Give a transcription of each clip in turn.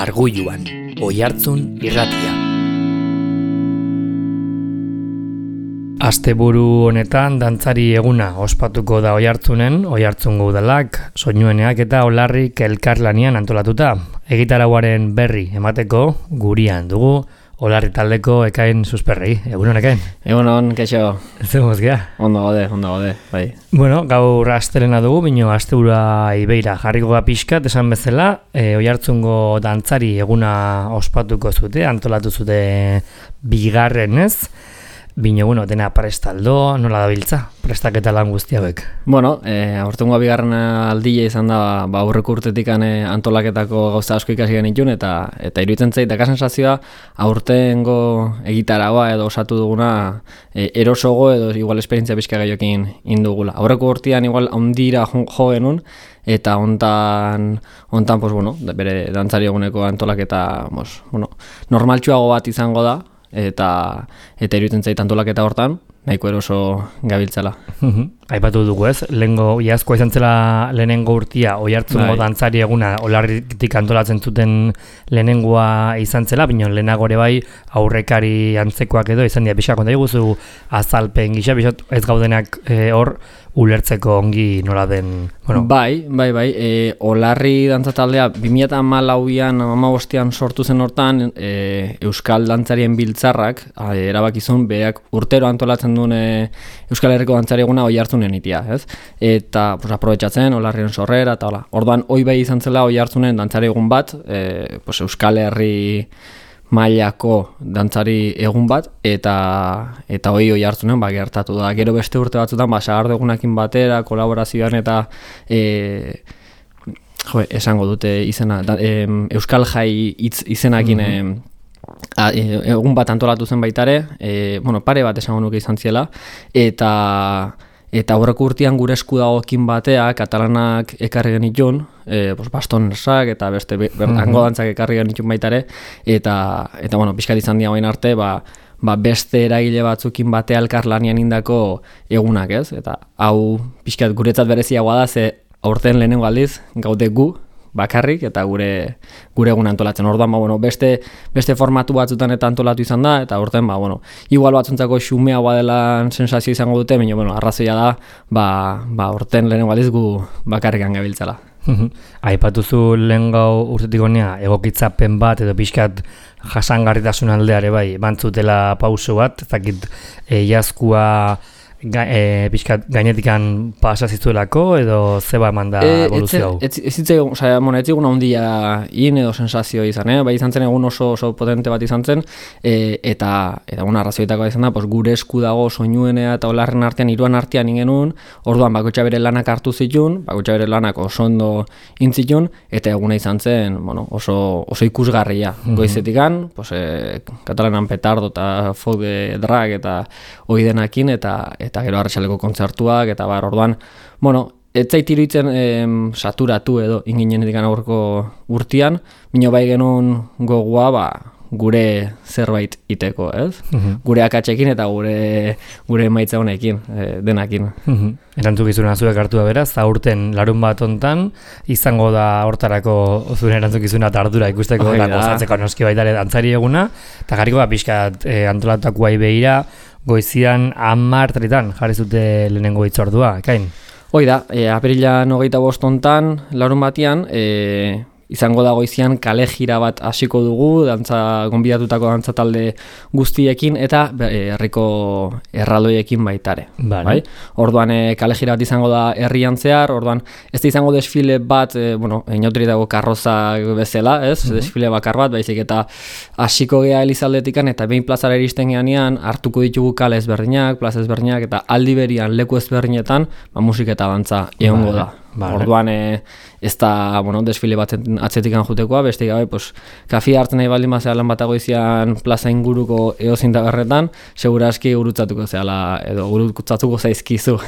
Arguluan, Oihartzun irratia. Asteburu honetan dantzari eguna ospatuko da Oihartzunen, Oihartzungo udalak, soinueneak eta Olarrik elkarlanian antolatuta. Egitarauaren berri emateko gurian dugu Olarri taldeko Ekain Susperri. Egunon, Ekain? Egunon, keixo. Zemuz, gea? Ondo gaude, bai. Bueno, gaur astelena dugu, bino asteura ibeira jarriko ga pixkat, esan bezala, Oihartzungo dantzari eguna ospatuko zute, antolatu zute bigarren ez, bino, bueno, dena prestaldo, nola dabiltza, prestaketa lan guzti hauek? Bueno, aurtengo bigarren aldia izan da, aurreko urtetik antolaketako gauza asko ikasi genitun, eta iruditzen zait, daka sensazioa, aurtengo egitaragoa edo osatu duguna erosogo edo igual esperientzia pixka gaiokin indugula. Aurreko urtean igual handira jo genuen, eta hontan pues, bueno, bere dantzari eguneko antolaketa pues, bueno, normaltxuago bat izango da, eta iruditzen zait antolaketa hortan, nahiko eroso gabiltzala. Aipatu dugu ez, lehengo iazkoa izan zela lehenengo urtia Oihartzungo dantzari eguna Olarritik antolatzen zuten lehenengoa izan zela, bino lehenagore bai aurrekari antzekoak edo izan dira pixka konta diguzu azalpen gisa, ez gaudenak hor ulertzeko ongi nola den... Bueno. Bai, Olarri dantzataldea 2014an, 2015an sortu zen hortan Euskal Dantzarien Biltzarrak erabakizun beak urtero antolatzen duen Euskal Herriko dantzari eguna Oihartzunen itia, ez? Eta pues, aprobetxatzen Olarrien sorrera eta hola. Orduan, hoi bai izan zela Oihartzunen dantzari egun bat, pues, Euskal Herri mailako dantzari egun bat, eta hoi Oihartzunen gertatu da. Gero beste urte batzutan, sagardo egunakin batera, kolaborazioan eta esango dute izena, Euskal Jai izenakin egun bat antolatu zen baitare, pare bat esango nuke izan ziela, eta horreko urtean gure esku dagoekin batea, katalanak ekarri genitun, bastonersak eta beste hango dantzak ekarri genitun baitare, eta pixkat izan dira bain arte, beste eragile batzukin batea elkarlanian indako egunak, ez? Eta hau pixkat guretzat bereziagoa da, ze aurten lehenengo aldiz gaude gu, bakarrik eta gure egun antolatzen. Orduan, beste formatu batzutan eta antolatu izan da, eta aurten, igual batzuntzako xumeagoa dela sensazio izango dute, baina, arrazoia da, aurten lehenengo aldiz gu bakarrikan gabiltzala. Aipatuzu lehen gau urtetik honea egokitzapen bat edo pixkat jasangarritasun aldeare bai, bantzutela pauso bat, ezakit iazkua pixkat gainetikan pasazizuelako edo zeba eman da evoluzio hau? Ez zigun handia edo sensazio izan, bai izan zen egun oso potente bat izan zen, eta arrazioetako izan da, gure esku dago soinuenea eta Olarren artean, hiruan artean ingenuen, orduan bakoitza bere lanak hartu zitun, bakoitza bere lanak oso ondo intzitun, eta eguna izan zen oso ikusgarria. Goizetikan, katalanan petardo eta folk drag eta oidenakin, eta gero arratsaleko kontzertuak, eta orduan, ez zait iruditzen saturatu edo inginenetik aurreko urtean, bino bai genuen gogoa gure zerbait iteko, ez? Gure akatsekin eta gure emaitza honekin, denakin. Erantzukizuna zuek hartua beraz, aurten larun bat hontan, izango da hortarako zuen erantzukizuna eta ardura ikusteko eta gozatzeko noski baitare dantzari eguna, eta jarriko pixkat antolatakoa ibeira, goizian 10:00 jarri zute lehenengo hitzordua, Ekain? Hoi da, apirilan 25 hontan, larun batean, izango da goizian kale jira bat hasiko dugu, gonbidatutako dantza talde guztiekin eta herriko erraldoiekin baitare. Bai? Orduan kale jira bat izango da herrian zehar, orduan ez da izango desfile bat, inauteri dago karroza bezala, ez? Desfile bakar bat, baizik eta hasiko gea Elizaldetikan eta behin plazara iristen geanean hartuko ditugu kale ezberdinak, plaza ezberdinak eta aldi berian leku ezberdinetan musika eta dantza egongo da. Orduan ez da desfile bat atzetikan jutekoa, beste gabe kafia hartzen nahi baldin bazea lan bat agoizian plaza inguruko edozein tabernetan, segurazki gurutzatuko zehala edo gurutzatuko zaizkizu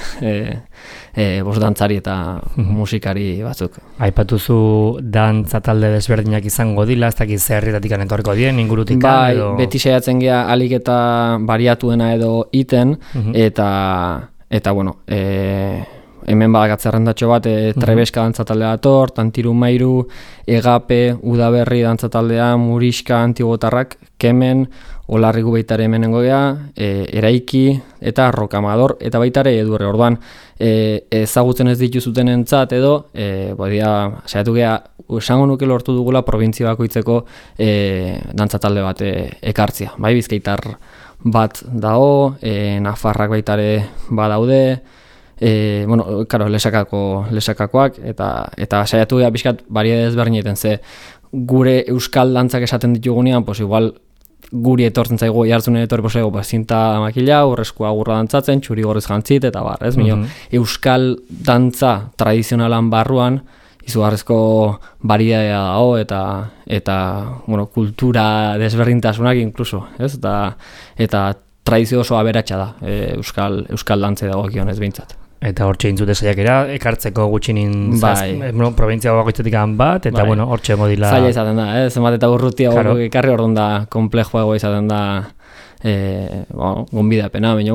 dantzari eta musikari batzuk. Aipatuzu dantza talde desberdinak izango dila, ez dakit zerritatik etorriko dien, ingurutikan bai, edo... Beti saiatzen gea alik eta bariatuena edo iten, eta hemen badakat zerrendatxo bat, Trebeska dantzatalde dator, Tantiru Mairu, Egape, Udaberri dantzataldea, Muriska, Antigotarrak, Kemen, Olarrigu baitare hemenengo gea, Eraiki eta Rokamador eta baitare Edurre. Orduan, ezagutzen ez dituzuten entzat edo, saiatu gea, esango nuke lortu dugula provintzia bakoitzeko dantzatalde bat ekartzia. Bai, Bizkaitar bat dago, Nafarrak baitare badaude, lesakakoak, eta saiatu gea bizkat bariedade ezberdineten, ze gure euskal dantzak esaten ditugunean, pues igual guri etortzen zaigu jartzunen etorri zinta makila, urreskua gurra dantzatzen, txuri gorriz jantzit, eta bar, ez? Euskal dantza tradizionalan barruan, izugarrezko bariedadea dago, eta kultura desberdintasunak inkluso, ez? Eta tradizio oso aberatsa da, euskal dantze dago kionez behintzat. Eta hor txeintzute saiakera, ekartzeko gutxinin provintzia bakoitzetik bat, eta hor txengo dila... Zaila izaten da, zenbat eta urrutia ekarri orduan da, komplexoago izaten da gonbidapena, baina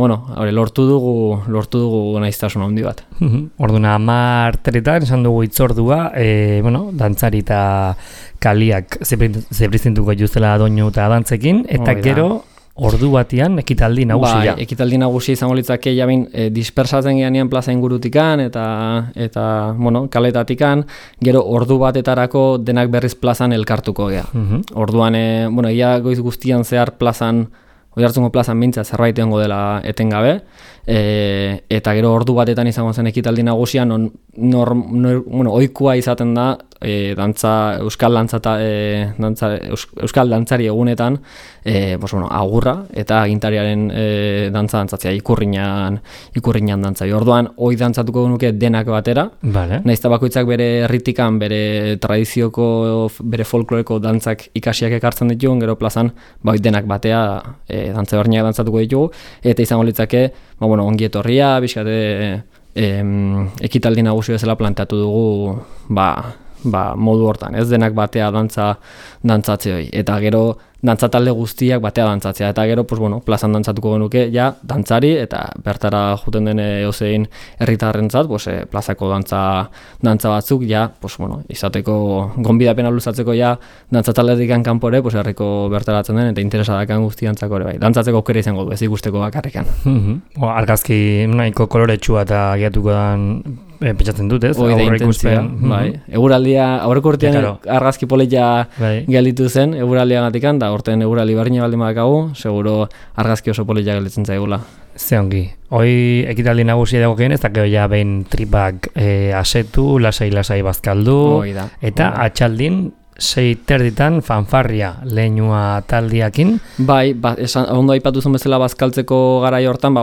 lortu dugu nahiztasun handi bat. Orduan 10 esan dugu itzordua, dantzari eta kaliak zebrizintuko juzela doinu eta dantzekin, eta gero... Ordu batean ekitaldi nagusia. Bai, ekitaldi nagusia izango litzake jabin dispersatzen geanean plaza ingurutikan eta kaletatikan, gero ordu batetarako denak berriz plazan elkartuko gea. Orduan, ia goiz guztian zehar plazan, Oiartzungo plazan mintza zerbait egongo dela etengabe, eta gero ordu batetan izango zen ekitaldi nagusia, ohikoa izaten da euskal dantzari egunetan, agurra eta agintariaren dantzatzea ikurriñan dantzai. Orduan, hoi dantzatuko nuke denak batera, nahiz eta bakoitzak bere herritikan, bere tradizioko, bere folkloreko dantzak ikasiak ekartzen ditugun, gero plazan, denak batea dantza berniak dantzatuko ditugu, eta izango litzake, ongi etorria, bizkate ekitaldi nagusi bezala planteatu dugu, modu hortan, ez denak batea dantzatzea hori, eta gero dantzatalde guztiak batea dantzatzea, eta gero, plazan dantzatuko genuke, dantzari, eta bertara juten den eozein herritarrentzat, plazako dantza batzuk, izateko, gonbidapena luzatzeko, dantzataldetik kanpore, herriko bertaratzen den, eta interesadakan guztiantzako ere bai. Dantzatzeko aukera izango du, ez ikusteko bakarrikan. Argazki nahiko koloretsua eta giatuko dan pentsatzen dut, ez? Hoi da intentzia, bai. Eguraldia, aurreko urtean argazki polita gelditu zen, eguraldiagatik, da horten eguraldi barrina baldin badakagu, seguro argazki oso polita gelditzen zaigula. Ze ongi. Hoi ekitaldi nagusia dago ez da gero behin tripak asetu, lasai bazkaldu, eta atxaldin 6:30 fanfarria leinua taldiakin. Bai, ondo aipatu zen bezala bazkaltzeko garai hortan,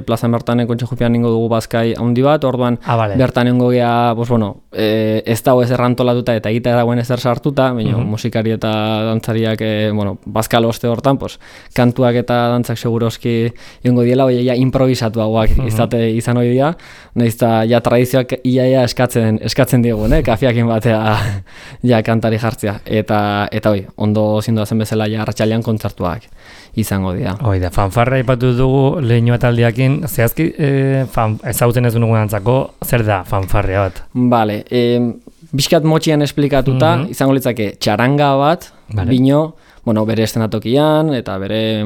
plazan bertan kontxejupian ningo dugu bazkai handi bat, orduan bertan nengo gea, ez dago ez errantolatuta eta egita dagoen ezer sartuta, musikari eta dantzariak, bazkal oste hortan, kantuak eta dantzak seguroski ingo diela, improvisatuagoak izan hori dira, nahiz eta tradizioak iaia eskatzen digun, kafiakin batea kantari jartzen. Eta ondo zindu zen bezala arratsalean kontzertuak izango dira. Hoi da, fanfarra ipatu dugu lehenoa taldiakin, zehazki ezagutzen ez dugun antzako, zer da fanfarria bat? Bale, bizkat motxian esplikatuta, izango litzake txaranga bat, bino, bere estenatokian, eta bere,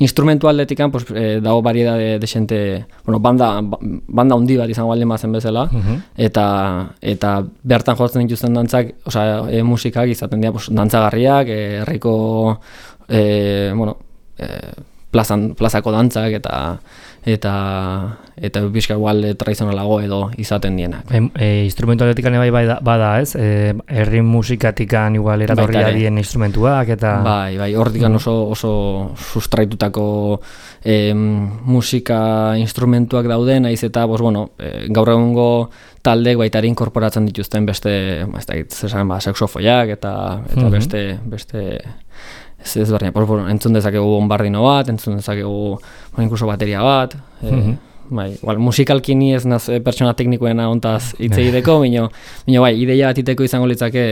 instrumentu aldetikan, dago variedade de xente, banda handi bat izango baldin bazen bezala, eta bertan jotzen dituzten dantzak, musikak izaten dira, dantzagarriak, herriko, plazako dantzak, eta bizka igual tradizionalago edo izaten dienak. Instrumentualetik bai bada, ez? Herri musikatikan igual eratorria dien instrumentuak eta... Bai, hortikan oso sustraitutako musika instrumentuak dauden, naiz eta, gaur egungo taldek baitari inkorporatzen dituzten beste, saxofoiak eta beste ez barriak, entzun dezakegu bombardino bat, entzun dezakegu inkluso bateria bat, musikalki ni ez naz pertsona teknikoena ontaz hitz egiteko, baina ideia bat iteko izango litzake,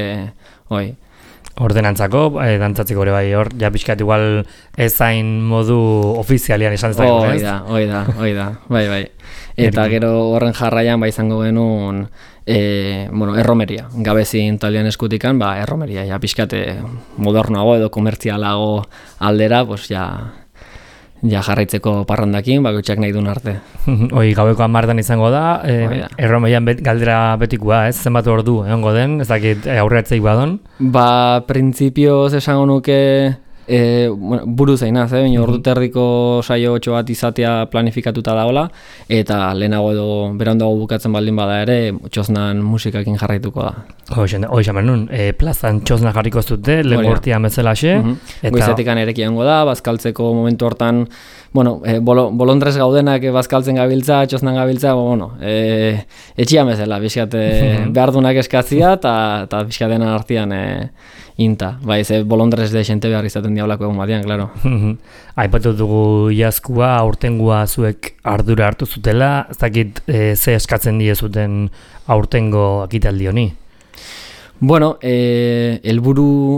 ordenantzako, dantzatzeko ere bai, hor, pixkat igual ezain modu ofizialian esan dezakegu, ez? Hoi da, bai. Eta gero horren jarraian izango genuen erromeria. Gabezin taldean eskutikan, erromeria, ja pixkate modernoago edo komertzialago aldera, ja jarraitzeko parrandakin, bakoitzak nahi duen arte. Hoi, gaueko 10 izango da, erromeian galdera betikoa, ez? Zenbat ordu egongo den, ez dakit aurreatzeik badon? Printzipioz esango nuke buru zeinaz, baina ordu terdiko saio 8 bat izatea planifikatuta dagoela, eta lehenago edo berandago bukatzen baldin bada ere, txosnan musikakin jarraituko da. Hoi xamen nun, plazan txosna jarriko zute, lehen gortian bezalaxe. Goizetikan ereki egongo da, bazkaltzeko momentu hortan, bolondrez gaudenak bazkaltzen gabiltza, txosnan gabiltza, etxian bezala, bizkat behardunak eskatzia, eta bizkatena artean inta. Ze bolondrez de xente behar izaten diablako egun batean, klaro. Aipatu dugu iazkua, aurtengua zuek ardura hartu zutela, ez dakit ze eskatzen diezuten aurtengo akitaldi honi?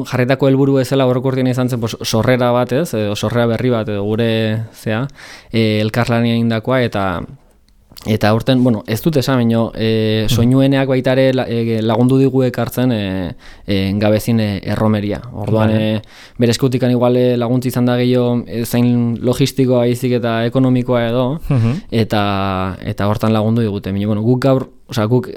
Jarretako helburu ezela horrekortien izan zen sorrera bat ez, edo sorrera berri bat edo gure elkarlania indakoa eta aurten, ez dut esan, soinueneak baitare lagundu digu ekartzen gabezin erromeria. Orduan, bere eskutikan igual laguntzi izan da gehiago zain logistikoa izik eta ekonomikoa edo, eta hortan lagundu digute. Guk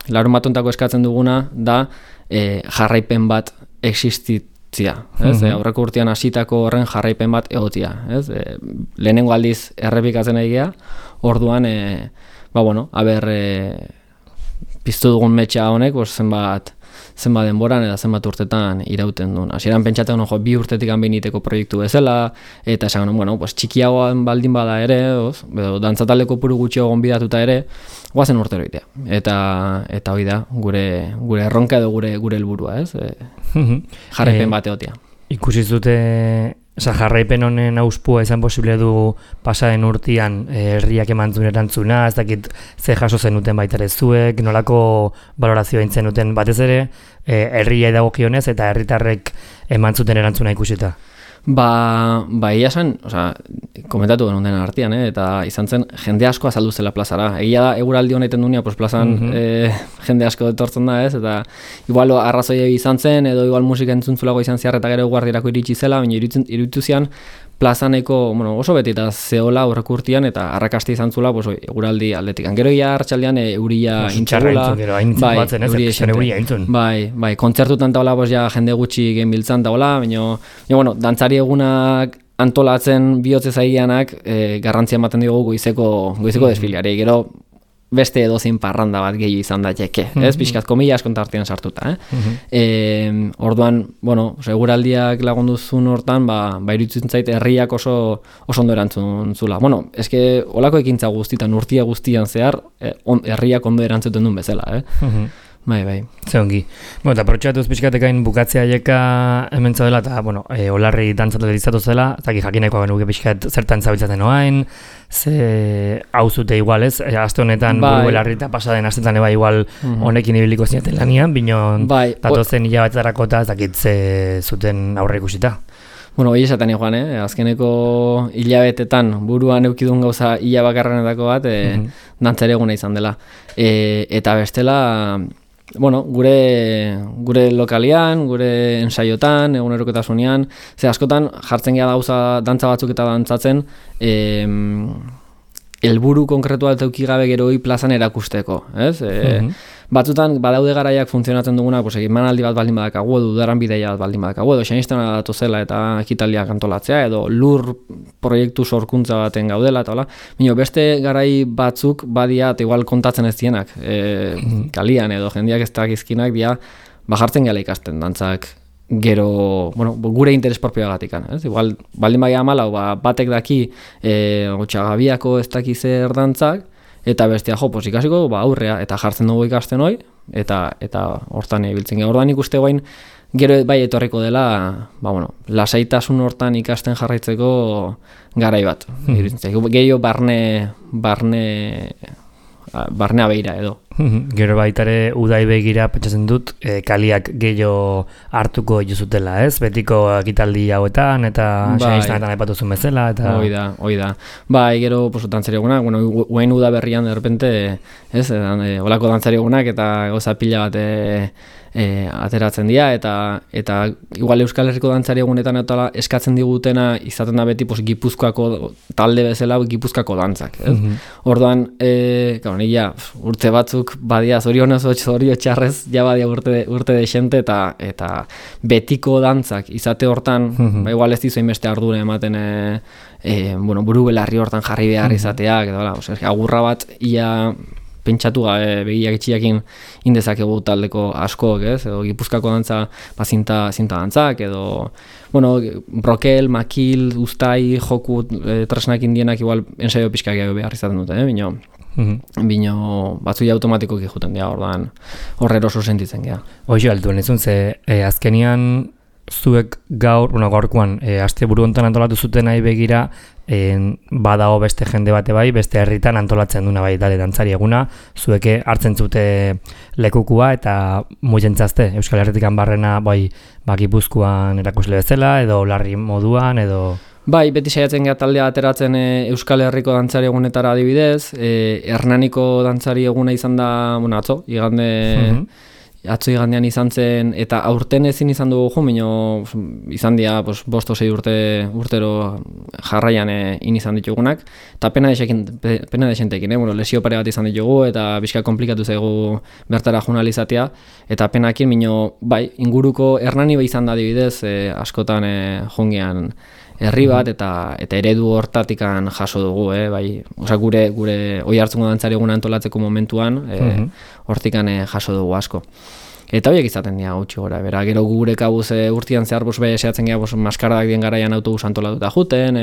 larun batontako eskatzen duguna da jarraipen bat existitzia. Aurreko urtean hasitako horren jarraipen bat egotia. Lehenengo aldiz errepikatzen egia, orduan, piztu dugun metxa honek, zenbat denboran eta zenbat urtetan irauten duen. Hasieran pentsatzen 2 urtetik behiniteko proiektu bezala, eta esan txikiagoan baldin bada ere, dantzataldeko puru gutxiago gonbidatuta ere, guazen urtero itea. Eta hori da, gure erronka edo gure helburua, jarraipen bat egotia. Ikusi zute jarraipen honen auspua izan posible du pasaden urtean herriak emantzun erantzuna, ez dakit ze jaso zenuten baitare zuek, nolako balorazioa intzen duten batez ere, herria dagokionez eta herritarrek emantzuten erantzuna ikusita. Egia zen, komentatu genuen dena artean, eta izan zen jende asko azaldu zela plazara. Egia da, eguraldi honetan dunia, plazan jende asko etortzen da, ez? Eta igual arrazoia izan zen, edo igual musika entzuntzuelago izan ziar, eta gero guardirako iritsi zela, baina iruditu zian plazaneko oso beti eta zehola horrek urtean, eta arrakasti izan zula eguraldi aldetik. Gero ia hartxaldean euria intzarula. Bai, kontzertutan taola jende gutxi genbiltzan taola, baina dantzari egunak antolatzen bihotze zaigianak garrantzia ematen diogu goizeko desfileari. Gero beste edozein parranda bat gehi izan daiteke, ez? Pixkat komila askonta artean sartuta, Orduan, eguraldiak lagunduzun hortan, iruditzen zait herriak oso ondo erantzun zula. Eske olako ekintza guztitan, urtia guztian zehar, herriak ondo erantzuten duen bezala, Bai. Zeongi. Eta protxatuz pixkatekain bukatzea aieka hemen zaudela, eta, olarri dantzatu dizatu zela, eta jakineko genuke pixkat zertan zabiltzaten oain, ze hau zute igual, ez? Aste honetan buru elarri eta pasaden astetan eba igual honekin ibiliko zinaten lanian, bino datozen hilabetarako eta ez dakit ze zuten aurre ikusita. Hori esaten joan, azkeneko hilabetetan buruan eukidun gauza hilabakarrenetako bat, dantzare eguna izan dela. Eta bestela, gure lokalian, gure ensaiotan, egunerokotasunean, ze askotan jartzen gara gauza dantza batzuk eta dantzatzen, helburu konkretua alteuki gabe geroi plazan erakusteko, ez? Batzutan badaude garaiak funtzionatzen dugunak, emanaldi bat baldin badakagu, edo udaran bideia bat baldin badakagu, edo xanistena datu zela eta ekitaliak antolatzea, edo lur proiektu sorkuntza baten gaudela, eta hola. Beste garai batzuk badia, eta igual kontatzen ez dienak, kalian edo jendeak ez dakizkinak, jartzen gala ikasten dantzak gero, gure interes propioagatik, ez? Igual, baldin baia amalau, batek daki Otxagabiako ez daki zer dantzak, eta bestia ikasiko aurrea, eta jartzen dugu ikasten hoi, eta hortan ibiltzen gara. Ordan ikuste guain, gero bai etorriko dela, lasaitasun hortan ikasten jarraitzeko garai bat. Gehiago barne abeira edo. Gero baitare udai begira pentsatzen dut kaliak gehiago hartuko dituzutela, ez? Betiko ekitaldi hauetan eta saiztanetan aipatuzun bezala eta hoi da. Bai, gero dantzari egunak, guain uda berrian de repente, ez? Olako dantzari egunak eta goza pila bat ateratzen dira eta igual Euskal Herriko dantzari egunetan eta eskatzen digutena izaten da beti Gipuzkoako talde bezala Gipuzkoako dantzak, ez? Orduan, urte batzuk badia zorionez zorio txarrez ja badia urte desente eta betiko dantzak izate hortan, igual ez dizu beste ardura ematen buru belarri hortan jarri behar izateak edo agurra bat ia pentsatu gabe begiak itxiakin indezakegu taldeko askok, ez? Edo Gipuzkoako dantza zinta dantzak, edo brokel, makil, uztai, joku, tresnak indienak igual ensaio pixkak behar izaten dute, bino batzuia automatikoki juten dira, ordan horrero oso sentitzen gea. Hoxe altuen ezun, ze azkenian zuek gaurkoan aste buru hontan antolatu zuten nahi begira badago beste jende bate bai, beste herritan antolatzen duna bai dale dantzari eguna, zueke hartzen zute lekukua eta mugentzazte Euskal Herritikan barrena bai Gipuzkoan erakusle bezala edo larri moduan edo... Bai, beti saiatzen gara taldea ateratzen Euskal Herriko dantzari egunetara adibidez, Hernaniko dantzari eguna izan da, atzo, atzo igandean izan zen, eta aurten ezin izan dugu izan dira 5-6 urtero jarraian izan ditugunak, eta pena desentekin, lesio pare bat izan ditugu, eta bizka komplikatu zaigu bertara journalizatea, eta penakin, bai, inguruko Hernani izan da adibidez, askotan jongean herri bat, eta eredu hortatikan jaso dugu, bai, gure oihartzungo dantzari eguna antolatzeko momentuan, hortikan jaso dugu asko. Eta horiek izaten dira gutxi gora, bera, gero gure kabuz urtean zehar sehatzen gara maskardak dien garaian autobus antolatuta juten,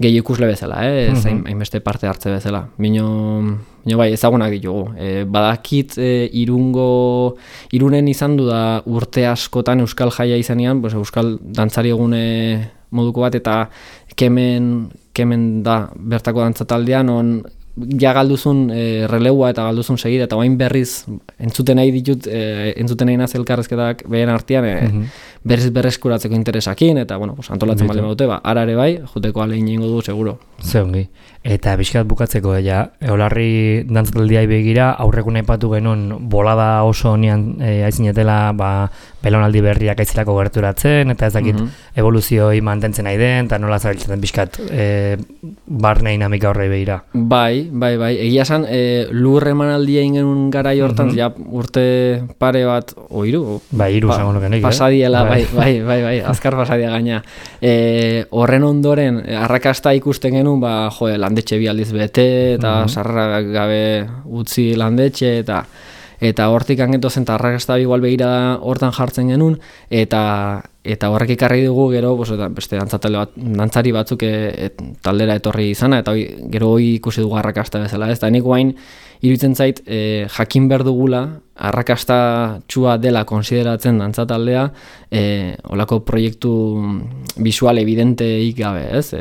gehi ikusle bezala, hainbeste parte hartze bezala. Bino bai, ezagunak ditugu. Badakit Irunen izan du da urte askotan Euskal Jaia izanean, Euskal dantzari egune moduko bat, eta kemen da bertako dantzataldean, on ja galduzun releua eta galduzun segida, eta oain berriz entzuten nahi ditut, entzuten nahi naz elkarrezketak behen artean, berreskuratzeko interesakin, eta antolatzen bale badute, arare bai, juteko alein ingo du, seguro. Zeongi. Eta bizkat bukatzeko, Olarri dantzataldiai begira, aurrekun aipatu genuen bolada oso nian aizinetela, belaunaldi berriak aizilako gerturatzen, eta ez dakit evoluzioi mantentzen nahi den, eta nola zabiltzen bizkat barne dinamika horrei begira. Bai, egia esan, lur emanaldia ingen garai hortan, urte pare bat, hiru? Bai, hiru zango nukenik, pasadiela, bai, azkar pasadia gaina. Horren ondoren, arrakasta ikusten genuen, landetxe bi aldiz bete, eta sarrera gabe utzi landetxe, eta hortik angeto zen, eta arrakasta igual begira hortan jartzen genuen, eta horrek ikarri dugu gero beste dantzari batzuk taldera etorri izana, eta gero ikusi dugu arrakasta bezala, ez da nik guain iruditzen zait jakin behar dugula arrakasta txua dela konsideratzen dantzataldea olako proiektu visual evidenteik gabe, ez?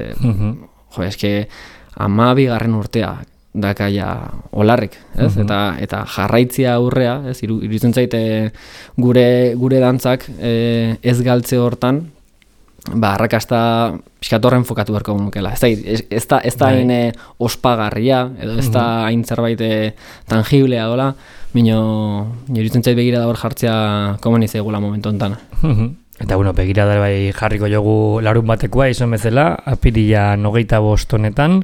Eske 12. urtea dakaia Olarrik, ez? Eta jarraitzia aurrea, ez? Iruditzen zaite gure dantzak ez galtze hortan, arrakasta pixkatorren fokatu beharko nukela. Ez da hain ospagarria, edo ez da hain zerbait tangiblea dola, iruditzen zait begira da hor jartzea komeni zaigula momentu honetan. Eta begira da bai jarriko jogu larun batekoa izan bezala, apirila 25 honetan,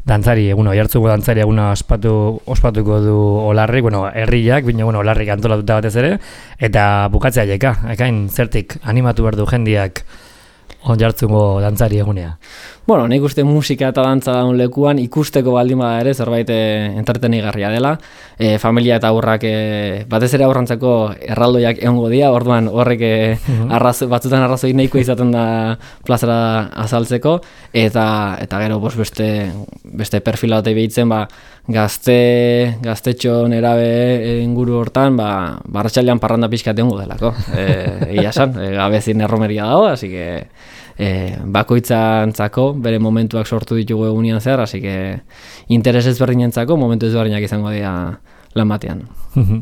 dantzari eguna, oihartzuko dantzari eguna ospatuko du Olarrik, herriak, Olarrik antolatuta batez ere, eta bukatzea jeka, ekain zertik animatu behar du jendiak oihartzuko dantzari egunea. Nik uste musika eta dantza daun lekuan ikusteko baldin bada ere zerbait entretenigarria dela. Familia eta aurrak batez ere aurrantzako erraldoiak egongo dira, orduan horrek batzutan arrazoi nahiko izaten da plazara azaltzeko, eta gero beste perfila batei behitzen, gaztetxo nerabe inguru hortan, barratxaldean parranda pixkat egongo delako. Egia esan, gabezin erromeria dago, así que bakoitzantzako bere momentuak sortu ditugu egunean zehar, así que interes ezberdinentzako momentu ezberdinak izango dira lan batean.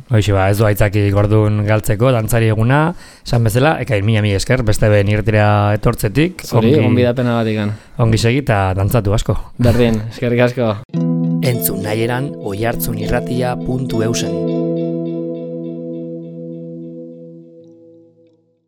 Hoxe ez du aitzaki gordun galtzeko, dantzari eguna, esan bezala, ekain mila esker, beste ben irtira etortzetik. Zori, gonbidapena batikan. Ongi segi eta dantzatu asko. Berdin, eskerrik asko. Entzun nahieran oihartzunirratia.eusen.